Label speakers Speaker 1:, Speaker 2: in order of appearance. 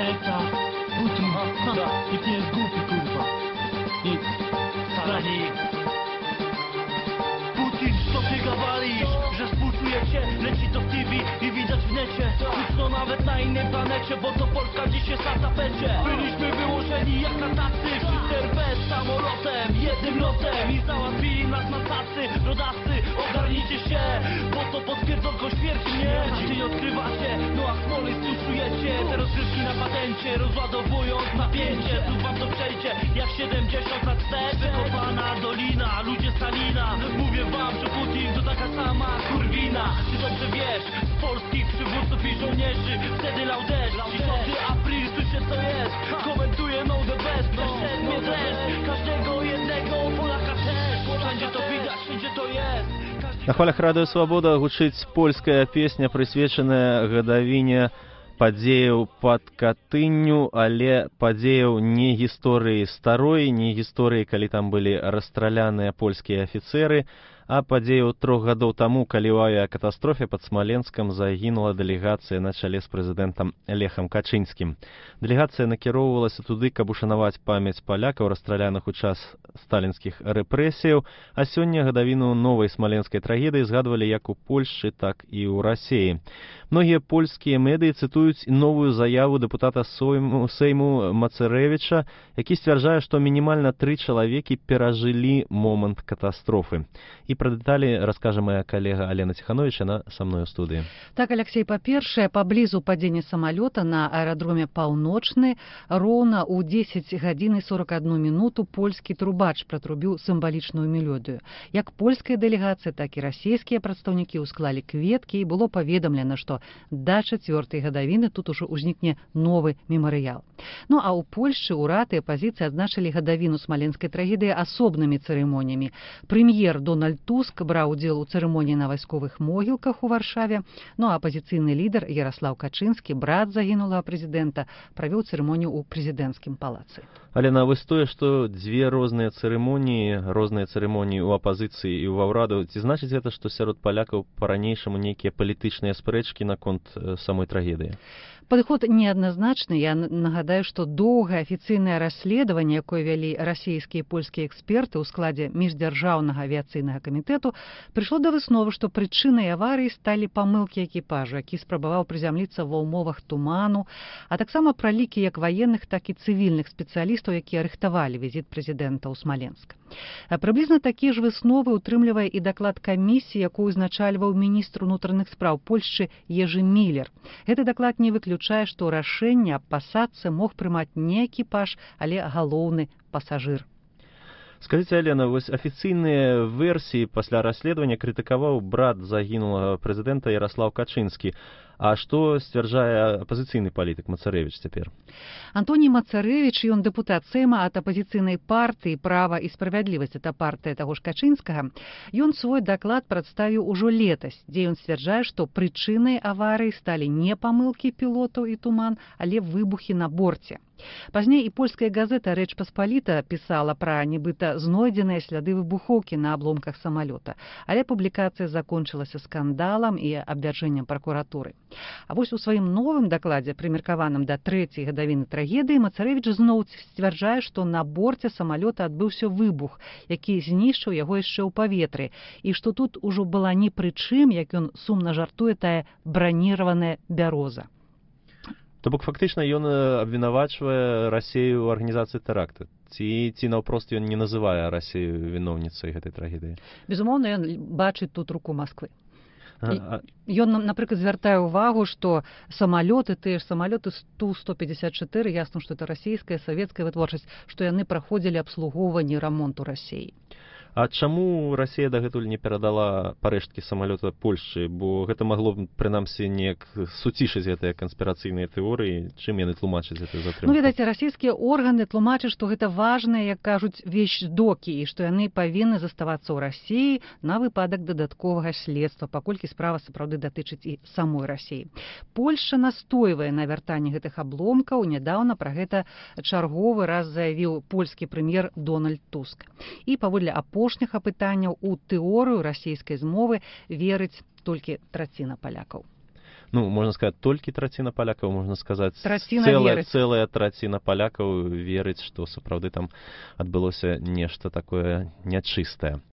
Speaker 1: serca. Putin, nikt nie jest głupi, kurwa. Nikt. Wcale nikt. Putin, co ty gawalisz? Że współczujecie, leci to w TV i widać w necie. Puszczo nawet na innej planecie, bo to Polska dziś jest na tapecie. Byliśmy wyłożeni jak na tacy, wszyscy bez samolotem, jednym lotem i załatwili nas na tacy. Rodacy, ogarnijcie się, bo to potwierdzono śmierci, nie? A ty odkrywacie, no a Smoleńsk czujecie. Te rozgrywki na patencie, rozładowując napięcie. Tu wam to przejdzie, jak 70 lat wstecz. Wykopana dolina, ludzie Stalina. Mówię wam, że Putin to taka sama kurwina. Ty dobrze wiesz, z polskich przywódców i żołnierzy wtedy lał deszcz. 10 april, słyszę co jest. Komentuję no the best, przeszedł mnie dreszcz. Każdego jednego Polaka też. Wszędzie to widać, wszędzie to jest.
Speaker 2: На хвалях радыё Свабода гучыць польская песня, прысвечаная гадавіне падзеяў пад Катынню, але падзеяў не гісторыі старой, не гісторыі, калі там былі расстраляныя польскія афіцэры, а падзеяў 3 гадоў таму, калі ў авіякатастрофе пад Смаленскам загінула дэлегацыя на чале з прэзідэнтам Лехам Качынскім. Дэлегацыя накіроўвалася туды, каб ушанаваць памяць палякаў, расстраляных у час сталінскіх рэпрэсіяў, а сёння гадавіну новай смаленскай трагедыі згадвалі як у Польшчы, так і ў Расіі. Многія польскія медыі цытуюць новую заяву дэпутата Сейму Мацэрэвіча, які сцвярджае, што мінімальна 3 чалавекі перажылі момант катастрофы. І пра дэталі раскажа моя калега Алена Тиханович, она са мной у студыі.
Speaker 3: Так, Алексей, па-першае, паблізу падзення самалёта на аэрадроме Паўночны роўна ў 10 гадзін і 41 мінуту польскі трубач пратрубіў сімвалічную мелодыю. Як польская дэлегацыя, так і расійскія прадстаўнікі ўсклалі кветкі і было паведамлена, што да 4-й гадавіны тут ужо ўзнікне новы мемарыял. Ну а ў Польшчы ўрад і апазіцыя адзначылі гадавіну смаленскай трагедыі асобнымі цырымоніямі. Прэм'ер Дональд Туск браў удзел у цырымоніі на вайсковых могілках у Варшаве, ну а апазіцыйны лідар Яраслаў Качынскі, брат загінулага прэзідэнта, правёў цырымонію ў прэзідэнцкім палацы.
Speaker 2: Алена, вось тое, што дзве розныя цырымоніі ў апазіцыі і ва ўраду, ці значыць гэта, што сярод палякаў па-ранейшаму нейкія палітычныя спрэчкі наконт самой трагедыі?
Speaker 3: Падыход неадназначны. Я нагадаю, што доўгае афіцыйнае расследаванне, якое вялі расійскія і польскія эксперты ў складзе міждзяржаўнага авіяцыйнага камітэту, прыйшло да высновы, што прычынай аварыі сталі памылкі экіпажу, які спрабаваў прызямліцца ва ўмовах туману, а таксама пралікі як ваенных, так і цывільных спецыялістаў, якія рыхтавалі візіт прэзідэнта ў Смаленск. Прыблізна такія ж высновы утрымлівае і даклад камісіі, якую узначальваў міністр унутраных спраў Польшчы Ежы Міллер. Гэты даклад не выключае, што рашэнне аб пасадцы мог прымаць не экіпаж, але галоўны пасажыр.
Speaker 2: Скажите, Алена, вось афіцыйныя версіі пасля расследавання крытыкаваў брат загінулага прэзідэнта Яраслаў Качынскі. А што сцвярджае апазіцыйны палітык Мацэрэвіч цяпер?
Speaker 3: Антоній Мацэрэвіч, ён дэпутат Сейма ад апазіцыйнай партыі «Права і справядлівасць», это партыя таго ж Качынскага. Ён свой даклад прадставіў ужо летась, дзе ён сцвярджае, што прычынай аварыі сталі не памылкі пілотаў і туман, але выбухі на борце. Пазней і польская газета «Рэч Паспаліта» пісала пра нібыта знойдзеныя сляды выбухоўкі на абломках самалёта, але публікацыя закончылася скандалам і абвяржэннем пракуратуры. А вось у сваім новым дакладзе, прымеркаваным да 3-й гадавіны трагедыі, Мацэрэвіч зноў сцвярджае, што на борце самалёта адбыўся выбух, які знішчыў яго яшчэ ў паветры, і што тут ужо была ні пры чым, як ён сумна жартуе, тая браніраваная бяроза.
Speaker 2: То бок фактычна ён абвінавачвае Расію ў арганізацыі тэракта. Ці наўпрост ён не называе Расію віноўніцай гэтай трагедыі?
Speaker 3: Безумоўна, ён бачыць тут руку Масквы. Ён, напрыклад, звяртае ўвагу, што самалёты, тыя ж самалёты Ту-154, ясна, што это расійская, савецкая вытворчасць, што яны праходзілі абслугоўванне, рамонт у Расіі.
Speaker 2: А чаму Расія дагэтуль не перадала парэшткі самалёта Польшчы? Бо гэта магло б, прынамсі, неяк суцішыць гэтыя канспірацыйныя тэорыі. Чым яны тлумачаць гэтую затрымку?
Speaker 3: Ну, ведаце, расійскія органы тлумачаць, што гэта важныя, як кажуць, вещдокі, і што яны павінны заставацца ў Расіі на выпадак дадатковага следства, паколькі справа сапраўды датычыць і самой Расіі. Польшча настойвае на вяртанні гэтых абломкаў. Нядаўна пра гэта чарговы раз заявіў польскі прэм'ер Дональд Туск. І паводле апошніх апытанняў у тэорыю расійскай змовы верыць толькі траціна палякаў.
Speaker 2: ну, можна сказаць, толькі траціна палякаў, можна сказаць,
Speaker 3: Траціна верыць.
Speaker 2: цэлая траціна палякаў верыць, што сапраўды там адбылося нешта такое нячыстае.